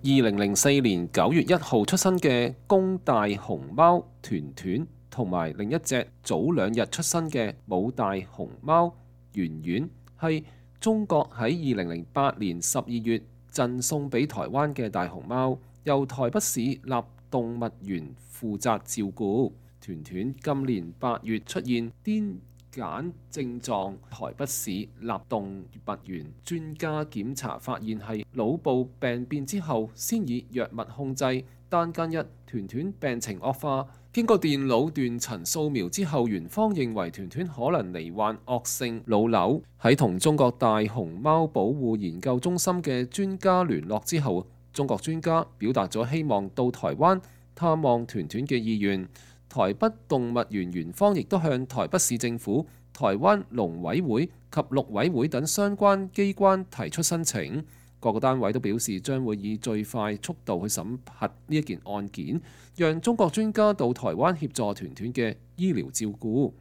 2004年9月1號出生嘅公大熊貓團團，同埋另一隻早2日出生嘅母大熊貓圓圓，係中國喺2008年12月贈送俾台灣嘅大熊貓，由台北市立動物園負責照顧。團團今年8月出現癲癇症狀，台北市立動物園專家檢查發現係腦部病變之後，先以藥物控制。但近日團團病情惡化，經過電腦斷層掃描之後，園方認為團團可能罹患惡性腦瘤。喺同中國大熊貓保護研究中心嘅專家聯絡之後，中國專家表達咗希望到台灣探望團團嘅意願。台北動物園園方亦都向台北市政府、台灣農委會及陸委會等相關機關提出申請，各個單位都表示將會以最快速度去審核呢一件案件，讓中國專家到台灣協助團團嘅醫療照顧。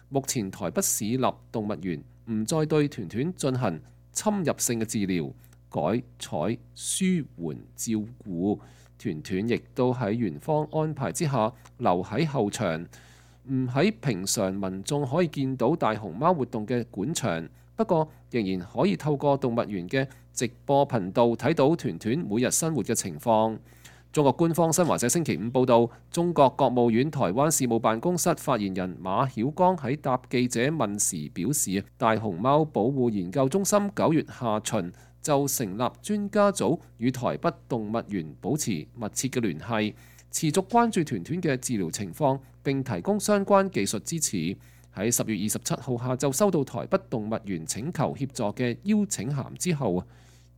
目前台北市立動物園唔再對團團進行侵入性嘅治療，改採舒緩照顧。團團亦都喺園方安排之下留喺後場，唔喺平常民眾可以見到大熊貓活動嘅館場，不過仍然可以透過動物園嘅直播頻道睇到團團每日生活嘅情況。中國官方新華社星期5報導，中國國務院台灣事務辦公室發言人馬曉光喺答記者問時表示，大熊貓保護研究中心9月下旬就成立專家組，與台北動物園保持密切嘅聯繫，持續關注團團嘅治療情況，並提供相關技術支持。喺10月27號下晝收到台北動物園請求協助嘅邀請函之後，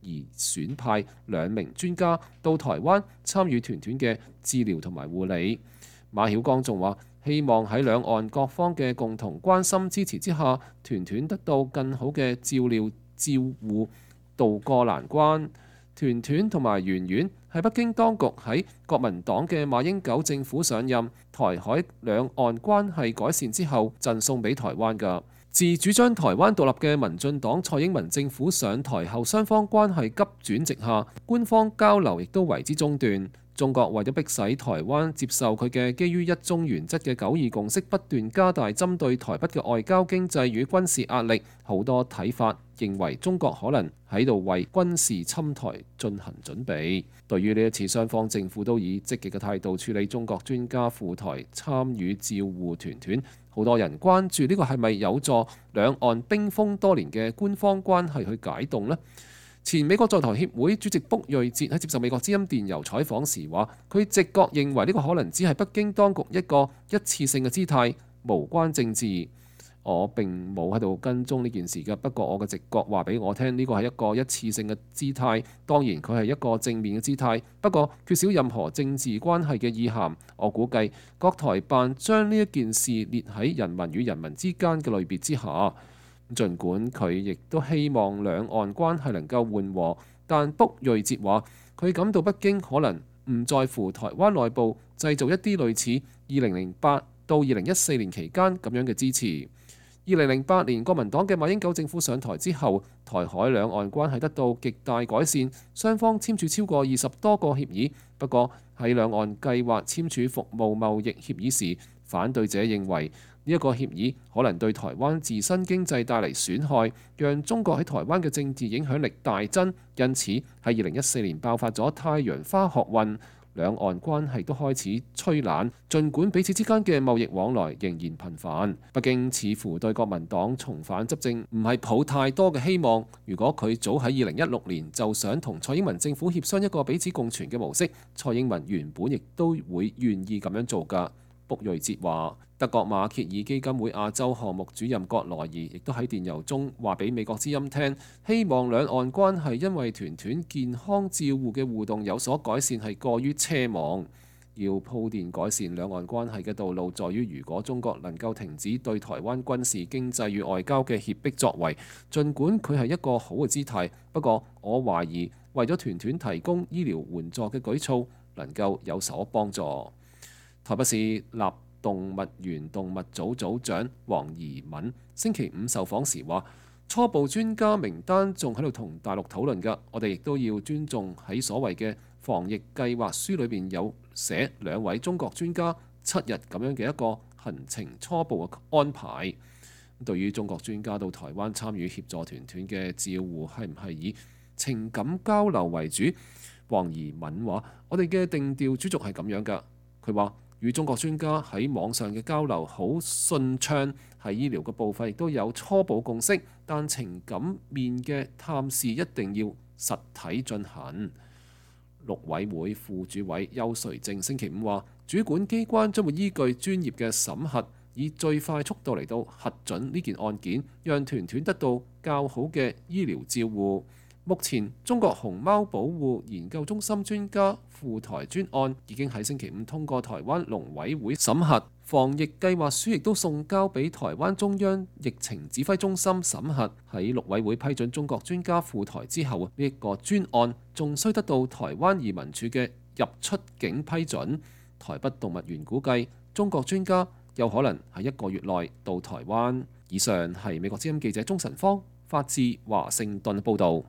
而選派2名專家到台灣參與團團嘅治療同埋護理。馬曉光仲話，希望喺兩岸各方嘅共同關心支持之下，團團得到更好嘅照料照護，渡過難關。團團同埋圓圓係北京當局喺國民黨嘅馬英九政府上任，台海兩岸關係改善之後贈送俾台灣㗎。自主張台灣獨立嘅民進黨蔡英文政府上台後，雙方關係急轉直下，官方交流亦都為之中斷。中國為咗迫使台灣接受佢嘅基於一中原則嘅九二共識，不斷加大針對台北嘅外交、經濟與軍事壓力。好多睇法認為中國可能喺度為軍事侵台進行準備。對於呢一次，雙方政府都以積極嘅態度處理中國專家赴台參與照護團團。好多人關注呢個係咪有助兩岸冰封多年嘅官方關係去解凍呢？前美國在台協會主席卜瑞哲喺接受美國之音電郵採訪時話，佢直覺認為呢個可能只係北京當局一個一次性嘅姿態，無關政治。我並冇喺度跟蹤呢件事嘅，不過我嘅直覺話俾我聽，呢個係一個一次性嘅姿態。當然佢係一個正面嘅姿態，不過缺少任何政治關係嘅意涵。我估計國台辦將呢一件事列喺人民與人民之間嘅類別之下。儘管佢亦都希望兩岸關係能夠緩和，但卜瑞哲話佢感到北京可能唔在乎台灣內部製造一啲類似2008到2014年期間咁樣嘅支持。2008年國民黨嘅馬英九政府上台之後，台海兩岸關係得到極大改善，雙方簽署超過20多個協議。不過喺兩岸計劃簽署服務貿易協議時，反對者認為呢一個協議可能對台灣自身經濟帶嚟損害，讓中國喺台灣嘅政治影響力大增。因此喺2014年爆發咗太陽花學運，兩岸關係都開始趨冷。儘管彼此之間嘅貿易往來仍然頻繁，北京似乎對國民黨重返執政唔係抱太多嘅希望。如果佢早喺2016年就想同蔡英文政府協商一個彼此共存嘅模式，蔡英文原本亦都會願意咁樣做㗎。卜瑞哲話，德國馬歇爾基金會亞洲項目主任葛萊儀亦都喺電郵中話俾美國之音聽，希望兩岸關係因為團團健康照護嘅互動有所改善係過於奢望。要鋪墊改善兩岸關係嘅道路，在於如果中國能夠停止對台灣軍事、經濟與外交嘅脅迫作為，儘管佢係一個好嘅姿態，不過我懷疑為咗團團提供醫療援助嘅舉措能夠有所幫助。台北市立動物園動物組組長黃怡敏星期5受訪時話，初步專家名單仲喺度同大陸討論㗎，我哋亦都要尊重喺所謂嘅防疫計劃書裏邊有寫2位中國專家7日咁樣嘅一個行程初步嘅安排。對於中國專家到台灣參與協助團團嘅照護係唔係以情感交流為主，黃怡敏話：我哋嘅定調主軸係咁樣㗎。佢話與中國專家喺網上嘅交流好順暢，喺醫療嘅部分亦都有初步共識，但情感面嘅探視一定要實體進行。陸委會副主委邱垂正星期五話，主管機關將會依據專業嘅審核，以最快速度嚟到核准呢件案件，讓團團得到較好嘅醫療照護。目前中國熊貓保護研究中心專家赴台專案已經喺星期五通過台灣農委會審核，防疫計劃書亦都送交俾台灣中央疫情指揮中心審核。喺陸委會批准中國專家赴台之後，呢一個專案仲需得到台灣移民署嘅入出境批准。台北動物園估計中國專家有可能喺1個月內到台灣。以上係美國之音記者鍾晨芳發自華盛頓報導。